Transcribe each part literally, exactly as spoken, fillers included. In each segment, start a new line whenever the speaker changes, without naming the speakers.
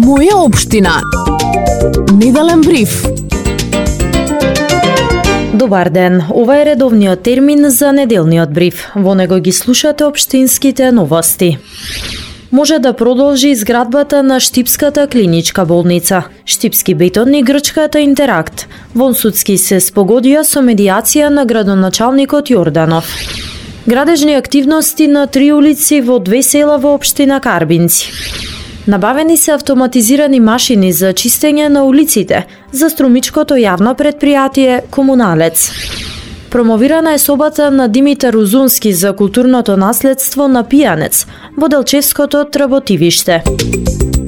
Моја општина. Неделен бриф.
Добар ден, ова е редовниот термин за неделниот бриф. Во него ги слушате општинските новости. Може да продолжи изградбата на Штипската клиничка болница. Штипски бетон и грчката Интеракт. Вонсудски се спогодија со медијација на градоначалникот Јорданов. Градежни активности на три улици во две села во општина Карбинци. Набавени се автоматизирани машини за чистење на улиците за струмичкото јавно предпријатие Комуналец. Промовирана е собата на Димитар Узунски за културното наследство на Пијанец во Делчевското тработивиште.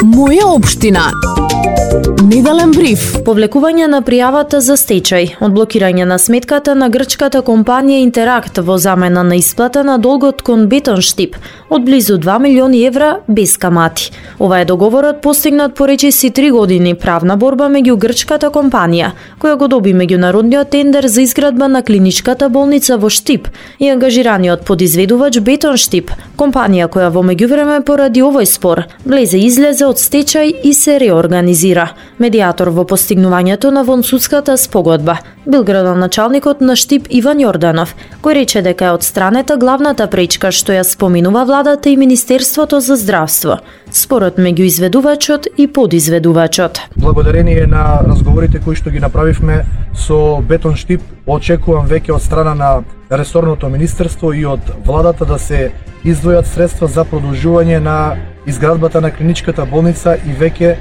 Моја општина. Неделен бриф.
Повлекување на пријавата за стечај, одблокирање на сметката на грчката компанија Интеракт во замена на исплата на долгот кон Бетон Штип од близу два милиони евра без камати. Ова е договорот постигнат по речиси три години правна борба меѓу грчката компанија, која го доби меѓународниот тендер за изградба на клиничката болница во Штип и ангажираниот подизведувач Бетон Штип, компанија која во меѓувреме поради овој спор влезе излезе од стечај и се реорганизира. Медијатор во постигнувањето на вонсудската спогодба бил градоначалникот на Штип Иван Јорданов, кој рече дека е одстранета главната пречка што ја споминува владата и Министерството за здравство, спорот меѓу изведувачот и подизведувачот.
Благодарение на разговорите кои што ги направивме со Бетон Штип, очекувам веќе од страна на ресорното министерство и од владата да се издвојат средства за продолжување на изградбата на клиничката болница и веќе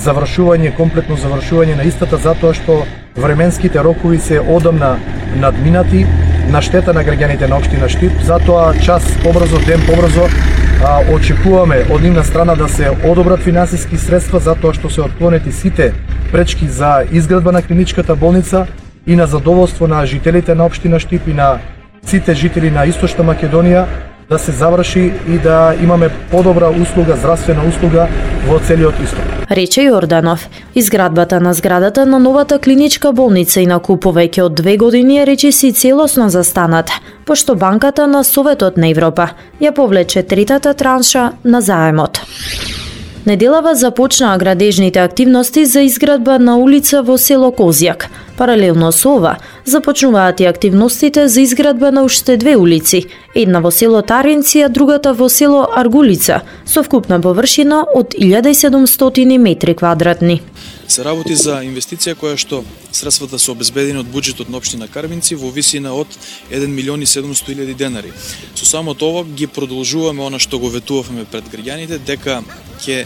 завршување, комплетно завршување на истата, затоа што временските рокови се одамна надминати на штета на граѓаните на општина Штип. Затоа час побрзо, ден побрзо а, очекуваме од нивна страна да се одобрат финансиски средства, затоа што се отклонети сите пречки за изградба на клиничката болница и на задоволство на жителите на општина Штип и на сите жители на Источна Македонија да се заврши и да имаме подобра услуга, здравствена услуга во целиот исток.
Рече Јорданов. Изградбата на зградата на новата клиничка болница инаку повеќе од две години е речиси целосно застаната, пошто банката на Советот на Европа ја повлече третата транша на заемот. Неделава започнаа градежните активности за изградба на улица во село Козјак. Паралелно со ова, започнуваат и активностите за изградба на уште две улици, една во село Таринци, а другата во село Аргулица, со вкупна површина од илјада и седумстотини метри квадратни.
Се работи за инвестиција која што средствата се обезбедени од буџетот на општина Карбинци во висина од еден милион и седумстотини илјади денари. Со само тоа ги продолжуваме она што го ветувавме пред граѓаните, дека ќе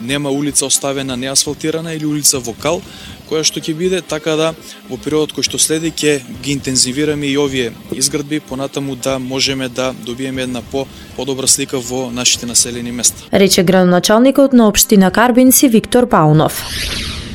нема улица оставена неасфалтирана или улица во кал, која што ќе биде, така да во периодот кој што следи ќе ги интензивираме и овие изградби, понатаму да можеме да добиеме една по подобра слика во нашите населени места.
Рече градоначалникот на општина Карбинци Виктор Паунов.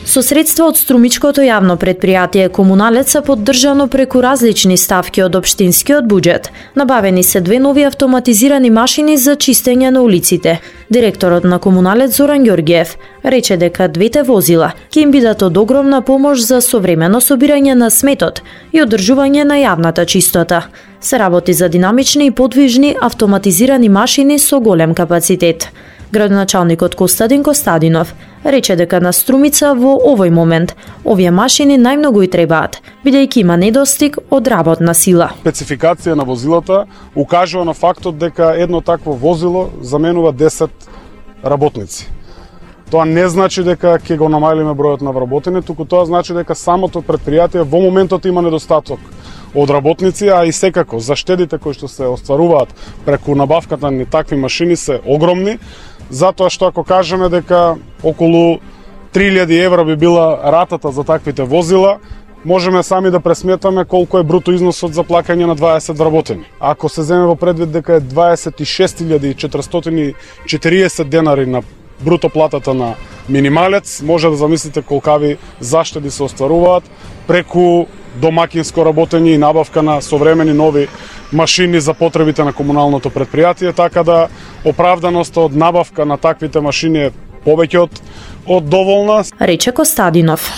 Со средства од струмичкото јавно предпријатие Комуналец са поддржано преку различни ставки од општинскиот буџет. Набавени се две нови автоматизирани машини за чистење на улиците. Директорот на Комуналец Зоран Ѓорѓиев рече дека двете возила ќе им бидат од огромна помош за современо собирање на сметот и одржување на јавната чистота. Се работи за динамични и подвижни автоматизирани машини со голем капацитет. Градоначалникот Костадин Костадинов рече дека на Струмица во овој момент овие машини најмногу и требаат, бидејќи има недостиг од работна сила.
Спецификација на возилата укажува на фактот дека едно такво возило заменува десет работници. Тоа не значи дека ќе го намалиме бројот на вработени, туку тоа значи дека самото предпријатие во моментот има недостаток од работници, а и секако заштедите кои што се остваруваат преку набавката на такви машини се огромни, затоа што ако кажеме дека околу три илјади евра би била ратата за таквите возила, можеме сами да пресметаме колку е бруто износот за плаќање на дваесет вработени. Ако се земе во предвид дека е дваесет и шест илјади четиристотини и четириесет денари на бруто платата на минималец, може да замислите колкави заштеди се остваруваат преку домакинско работење и набавка на современи нови машини за потребите на комуналното предпријатие, така да оправданоста од набавка на таквите машини е повеќе од, од доволна.
Рече Костадинов.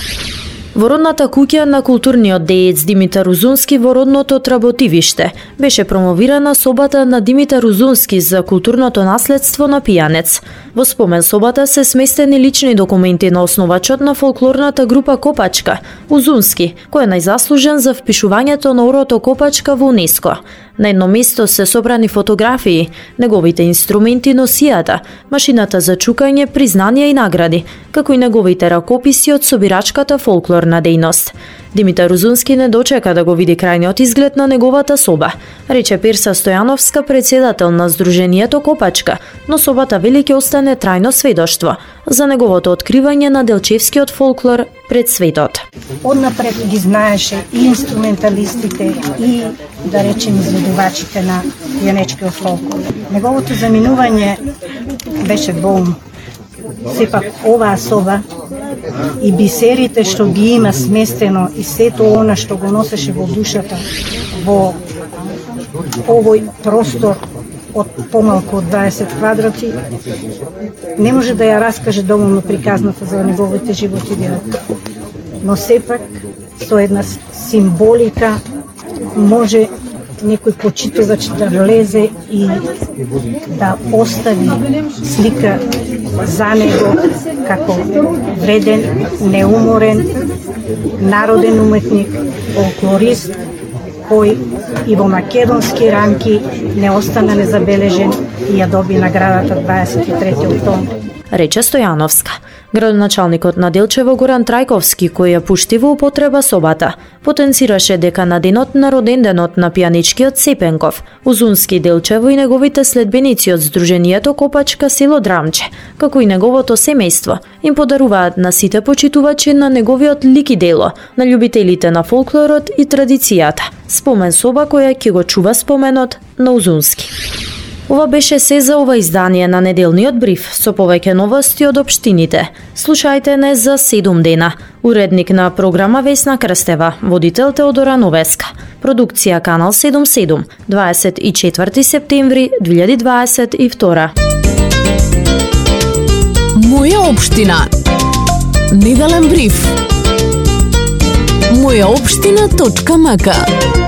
Во родната куќа на културниот деец Димитар Узунски во родното Тработивиште беше промовирана собата на Димитар Узунски за културното наследство на Пијанец. Во спомен собата се сместени лични документи на основачот на фолклорната група Копачка, Узунски, кој е најзаслужен за впишувањето на орото Копачка во УНЕСКО. На едно место се собрани фотографии, неговите инструменти, носијата, машината за чукање, признанија и награди, како и неговите ракописи од собирачката фолклорна дејност. Димитар Узунски не дочека да го види крајниот изглед на неговата соба, рече Перса Стојановска, председател на Сдруженијето Копачка, но собата вели ќе остане трајно сведоштво за неговото откривање на делчевскиот фолклор пред светот.
Однапред ги знаеше и инструменталистите и, да речем, изведувачите на пијанечкиот фолклор. Неговото заминување беше болно. Сепак оваа соба и бисерите што ги има сместено и сето она што го носеше во душата во овој простор од помалку од дваесет квадрати, не може да ја раскаже доволно приказната за неговите животи дела. Но сепак со една символика може некој почитувач да влезе и да остави слика за него како вреден, неуморен, народен уметник, фолклорист, кој и во македонски рамки не остана незабележен и ја доби наградата дваесет и трети октомври.
Рече Стојановска. Градоначалникот на Делчево Горан Трајковски, кој ја пушти во употреба собата, потенцираше дека на денот на роденденот на пијаничкиот Сепенков, Узунски Делчево и неговите следбеници од Сдруженијето Копачка село Драмче, како и неговото семејство, им подаруваат на сите почитувачи на неговиот лик и дело, на љубителите на фолклорот и традицијата. Спомен соба која ќе го чува споменот на Узунски. Ова беше се за ова издание на неделниот бриф со повеќе новости од општините. Слушајте не за седум дена. Уредник на програма Весна Крстева, водител Теодора Новеска. Продукција Канал седум седум, дваесет и четврти септември две илјади дваесет и втора.
Моја општина. Неделен бриф. моја општина точка м к